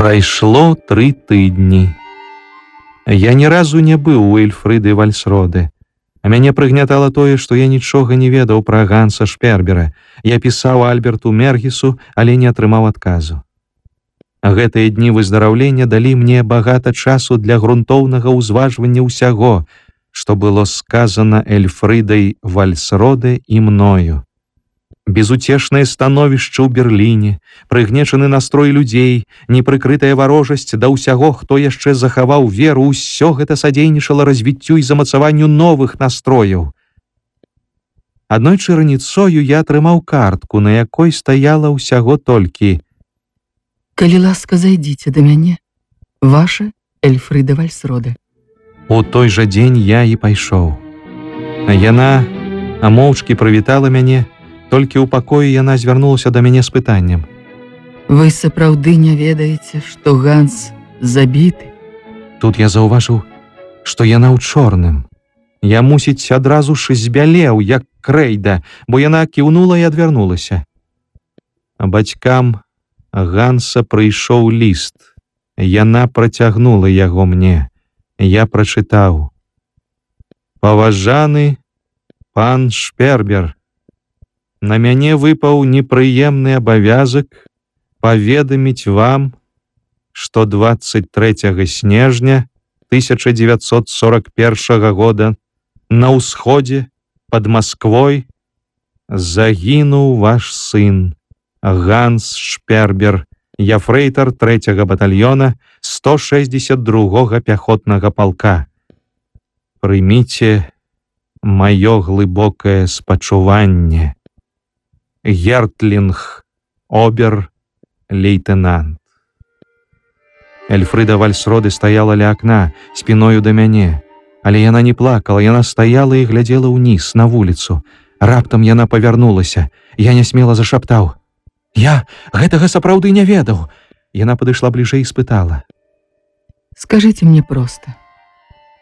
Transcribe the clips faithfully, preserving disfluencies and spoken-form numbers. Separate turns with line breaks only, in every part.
Прайшло тры тыдні. Я ні разу не быў у Эльфрыды Вальсроды. А мяне прыгнятала тое, што я нічога не ведаў пра Ганса Шпербера. Я пісаў Альберту Мергісу, але не атрымаў адказу. Гэтыя дні выздараўлення далі мне багата часу для грунтоўнага ўзважвання ўсяго, што было сказана Эльфрыдай Вальсроде і мною. Безутешнае становішча ў Берліне, прыгнечаны настрой людзей, непрыкрытая варожасць да ўсяго, хто яшчэ захаваў веру, усё гэта садзейнічала развіццю і замацаванню новых настрояў. Аднойчы раніцою я атрымаў картку, на якой стаяла ўсяго толькі:
«Калі ласка, зайдзіце да мяне, ваша Эльфрыда Вальсроде».
У той жа дзень я і пайшоў. Яна моўчкі прывітала мяне, толькі ў пакоі яна звярнулася да мяне з пытаннем:
«Вы сапраўды не ведаеце, што Ганс забіты?»
Тут я заўважыў, што яна ў чорным. Я, мусіць, адразу ж збялеў, як крэйда, бо яна кіўнула і адвярнулася. Бацькам Ганса прыйшоў ліст. Яна працягнула яго мне. Я прачытаў: «Паважаны пан Шпербер, на мяне выпаў непрыемны абавязак паведаміць вам, што двадцать трэцяга снежня тысяча дзевяцьсот сорок першага года на ўсходзе пад Масквой загінуў ваш сын Ганс Шпербер, яфрэйтар трэцяга батальёна сто шэсцьдзесят другога пяхотнага палка. Прыміце маё глыбокае спачуванне. Гертлинг, обер-лейтенант». Эльфрыда Вальсроде стаяла ля акна, спіною да мяне. Але яна не плакала, яна стаяла і глядзела ўніз, на вуліцу. Раптам яна павярнулася. Я нясмела зашаптаў: «Я гэтага сапраўды не ведаў». Яна падышла бліжэй і спытала:
«Скажыце мне проста,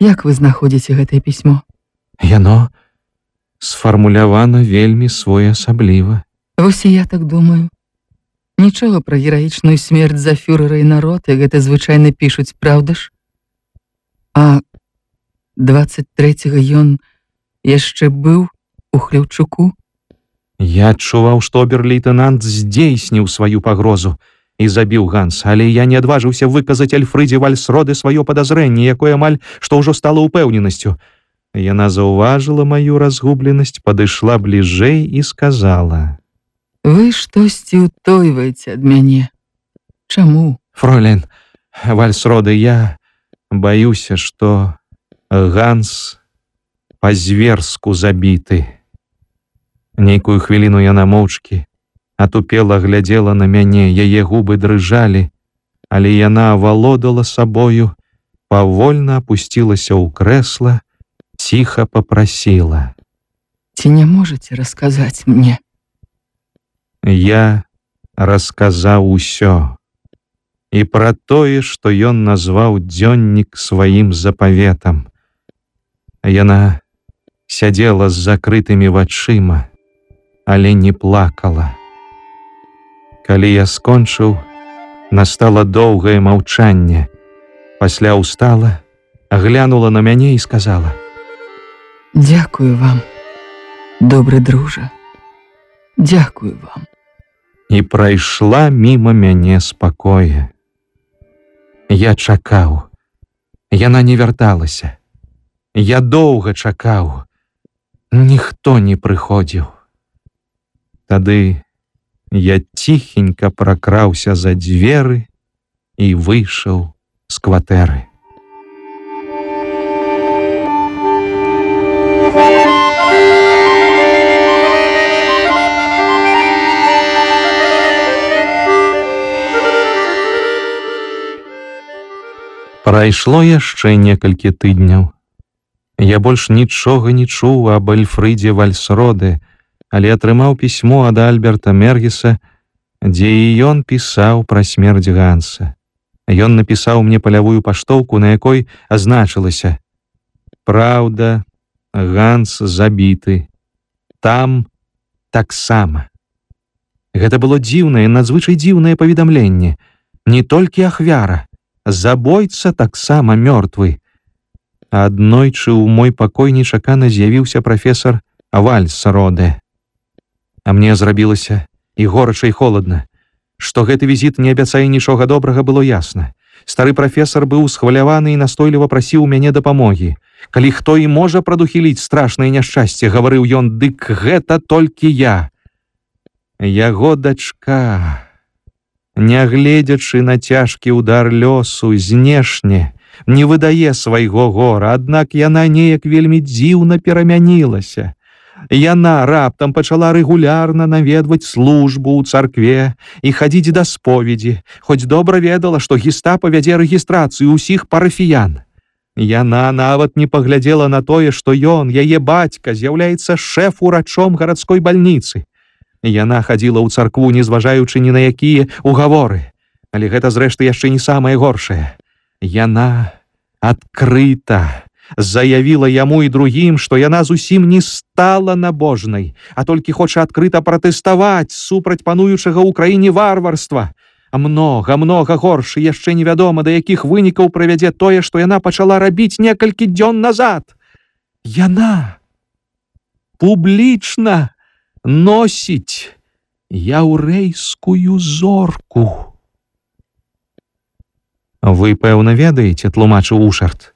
як вы знаходзіце гэтае пісьмо?»
«Яно сфармулявана вельмі своеасабліва».
«Вось і я так думаю. Нічога пра гераічную смерць за фюрэра і народ, як гэта звычайна пішуць, праўда ж? А двадцать трэцяга ён яшчэ быў у Хляўчуку?»
Я адчуваў, што обер-лейтенант здзейсніў сваю пагрозу і забіў Ганса, але я не адважыўся выказаць Эльфрыдзе Вальсроде сваё падазрэнне, якое амаль што ўжо стала ўпэўненасцю. Яна заўважыла маю разгубленасць, падышла бліжэй і сказала:
«Вы штосьці ўтойваеце ад мяне. Чаму?»
«Фройлен Вальсроде, я баюся, што Ганс па-зверску забіты». Нейкую хвіліну яна моўчкі атупела глядзела на мяне, яе губы дрыжалі, але яна авалодала сабою, павольна апусцілася ў крэсла, ціха папрасіла:
«Ці не можаце расказаць мне?»
Я расказаў усё. І пра тое, што ён назваў дзённік сваім запаветам. Яна сядзела з закрытымі вачыма, але не плакала. Калі я скончыў, настала доўгае маўчанне. Пасля ўстала, глянула на мяне і сказала:
«Дзякую вам, добры дружа. Дзякую вам».
І прайшла міма мяне спакоя. Я чакаў. Яна не вярталася. Я доўга чакаў. Ніхто не прыходзіў. Тады я ціхенька пракраўся за дзверы і выйшаў з кватэры. Прайшло яшчэ некалькі тыдняў. Я больш нічога не чуў аб Эльфрыдзе Вальсроде, але атрымаў пісьмо ад Альберта Мергіса, дзе і ён пісаў пра смерць Ганса. Ён напісаў мне палявую паштоўку, на якой азначылася: «Праўда, Ганс забіты. Там таксама». Гэта было дзіўнае, надзвычай дзіўнае паведамленне. Не толькі ахвяра, забойца таксама мёртвы. Аднойчы ў мой пакой нечакана з'явіўся прафесор Вальсроде. А мне зрабілася і горача, і холадна. Што гэты візіт не абяцае нічога добрага, было ясна. Стары прафесор быў схваляваны і настойліва прасіў мяне дапамогі. Калі хто і можа прадухіліць страшнае няшчасце, гаварыў ён, дык гэта толькі я. Яго дачка, нягледзячы на цяжкі ўдар лёсу, знешне не выдае свайго гора, аднак яна неяк вельмі дзіўна перамянілася. Яна раптам пачала рэгулярна наведваць службу ў царкве і хадзіць да споведзі, хоць добра ведала, што гестапа вядзе рэгістрацыю ўсіх парафіян. Яна нават не паглядзела на тое, што ён, яе бацька, з'яўляецца шэф-урачом гарадской бальніцы. Яна хадзіла ў царкву, не зважаючы ні на якія угаворы. Але гэта, зрэшты, яшчэ не самае горшае. Яна адкрыта заявіла яму і другім, што яна зусім не стала набожнай, а толькі хоча адкрыта пратэставаць супраць пануючага ў краіне варварства. А многа, многа горш, і яшчэ невядома, да якіх вынікаў прывядзе тое, што яна пачала рабіць некалькі дзён назад. Яна публічна носіць яўрэйскую зорку. Вы, пэўна, ведаеце, тлумачыў Ушарт.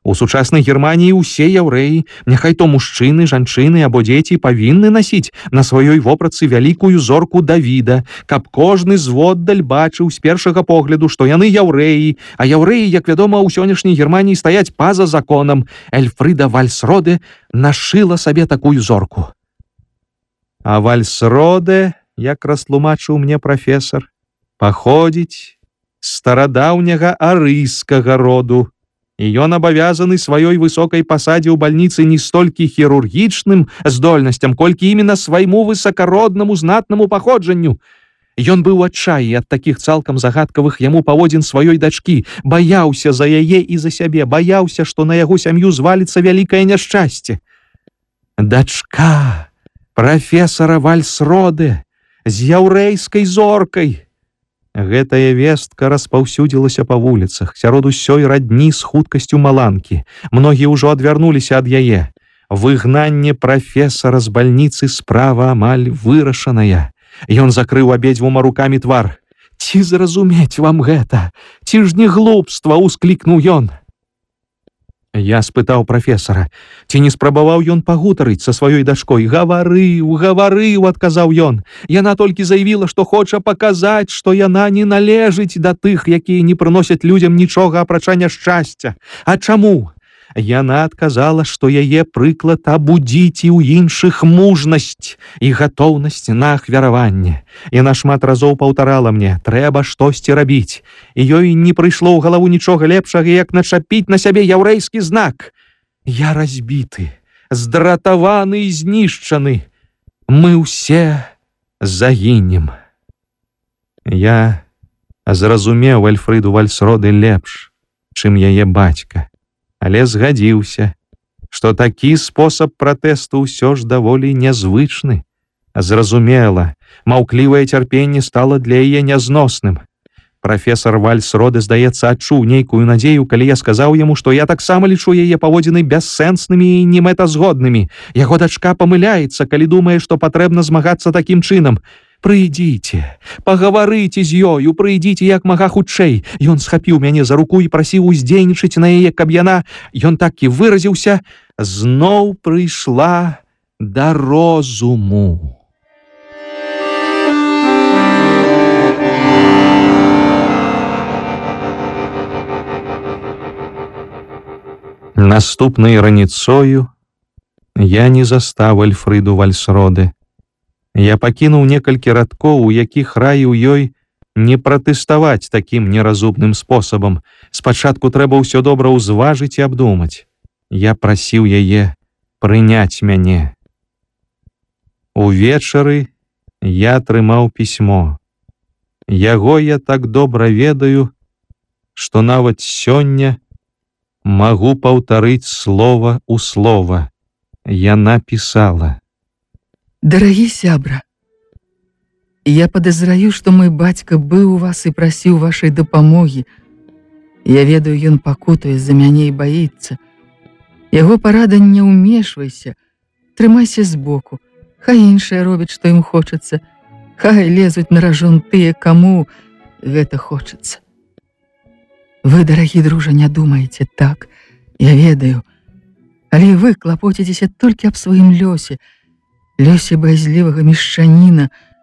У сучаснай Германіі ўсе яўрэі, няхай то мужчыны, жанчыны або дзеці, павінны насіць на сваёй вопратцы вялікую зорку Давіда, каб кожны зводдаль бачыў з першага погляду, што яны яўрэі, а яўрэі, як вядома, у сённяшняй Германіі стаяць па-за законам. Эльфрыда Вальсроде нашыла сабе такую зорку. А Вальсроде, як растлумачыў мне прафесор, паходзіць з старадаўняга арыйскага роду. І ён абавязаны сваёй высокай пасадзе ў бальніцы не столькі хірургічным здольнасцям, колькі іменно свайму высакароднаму знатнаму паходжанню. Ён быў у адчаі ад такіх цалкам загадкавых яму паводзін сваёй дачкі, баяўся за яе і за сябе, баяўся, што на яго сям'ю зваліцца вялікае няшчасце. Дачка прафесара Вальсроде з яўрэйскай зоркай. Гэтая вестка распаўсюдзілася па вуліцах, сярод усёй радні з хуткасцю маланкі. Многія ўжо адвярнуліся ад яе. Выгнанне прафесара з бальніцы справа амаль вырашаная. Ён закрыў абедзвюма рукамі твар. Ці зразумець вам гэта? Ці ж не глупства, усклікнуў ён. Я спытаў прафесара, ці не спрабаваў ён пагутарыць са сваёй дачкой. Гаварыў, гаварыў, адказаў ён. Яна толькі заявіла, што хоча паказаць, што яна не належыць да тых, якія не прыносяць людзям нічога апрача няшчасця. А чаму? Яна адказала, што яе прыклад абудзіць і ў іншых мужнасць і гатоўнасць на ахвяраванне. Яна шмат разоў паўтарала мне, трэба штосьці рабіць. І ёй не прыйшло ў галаву нічога лепшага, як начапіць на сябе яўрэйскі знак. Я разбіты, здратаваны і знішчаны. Мы ўсе загінем. Я зразумеў Эльфрыду Вальсроде лепш, чым яе бацька. Але згадзіўся, што такі спосаб пратэсту ўсё ж даволі нязвычны. Зразумела, маўклівае цярпенне стала для яе нязносным. Прафесор Вальсроде, здаецца, адчуў нейкую надзею, калі я сказаў яму, што я таксама лічу яе паводзіны бяссэнснымі і немэтазгоднымі. Яго дачка памыляецца, калі думае, што патрэбна змагацца такім чынам. Прыйдзіце, пагаварыце з ёю, прыйдзіце як мага хутчэй. Ён схапіў мяне за руку і прасіў уздзейнічаць на яе, каб яна, ён так і выразіўся, зноў прыйшла да розуму. Наступнай раніцою я не застаў Эльфрыду Вальсроде. Я пакінуў некалькі радкоў, у якіх раіў ёй не пратэставаць такім неразумным спосабам. Спачатку трэба ўсё добра ўзважыць і абдумаць. Я прасіў яе прыняць мяне. Увечары я атрымаў пісьмо. Яго я так добра ведаю, што нават сёння магу паўтарыць слова ў слова. Яна пісала:
Дарагі сябра, І я падазраю, што мой бацька быў у вас і прасіў вашай дапамогі. Я ведаю, ён пакутуе за мяне і баіцца. Яго парада: не ўмешвайся, трымайся збоку. Хай іншыя робяць, што ім хочацца. Хай лезуць на ражон тыя, каму гэта хочацца. Вы, дарагі дружа, не думаеце так, я ведаю. Але вы клапоціцеся толькі аб сваім лёсе, лёсе баязлівага мешчаніна,